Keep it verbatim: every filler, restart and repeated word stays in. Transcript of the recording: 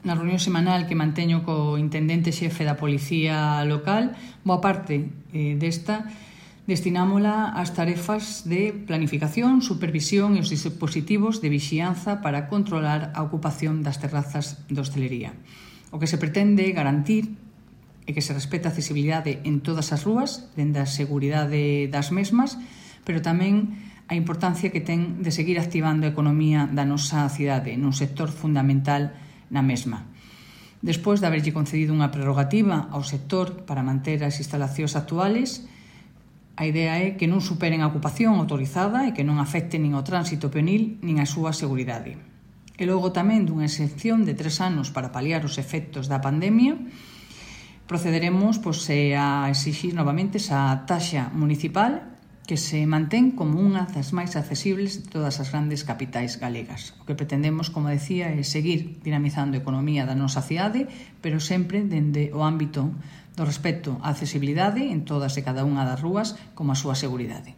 na reunión semanal que manteño co intendente xefe da Policía Local, boa parte eh, desta destinámola ás tarefas de planificación, supervisión e os dispositivos de vixianza para controlar a ocupación das terrazas de hostelería. O que se pretende garantir é que se respete a accesibilidade en todas as rúas, dende a seguridade das mesmas, pero tamén a importancia que ten de seguir activando a economía da nosa cidade nun sector fundamental na mesma. Despois de haberlle concedido unha prerrogativa ao sector para manter as instalacións actuales, a idea é que non superen a ocupación autorizada e que non afecten nin o tránsito peonil nin a súa seguridade. E logo tamén dunha excepción de tres anos para paliar os efectos da pandemia, procederemos pois, a exixir novamente esa taxa municipal que se mantén como unha das máis accesibles de todas as grandes capitais galegas. O que pretendemos, como decía, é seguir dinamizando a economía da nosa cidade, pero sempre dende o ámbito do respecto á accesibilidade en todas e cada unha das rúas como a súa seguridade.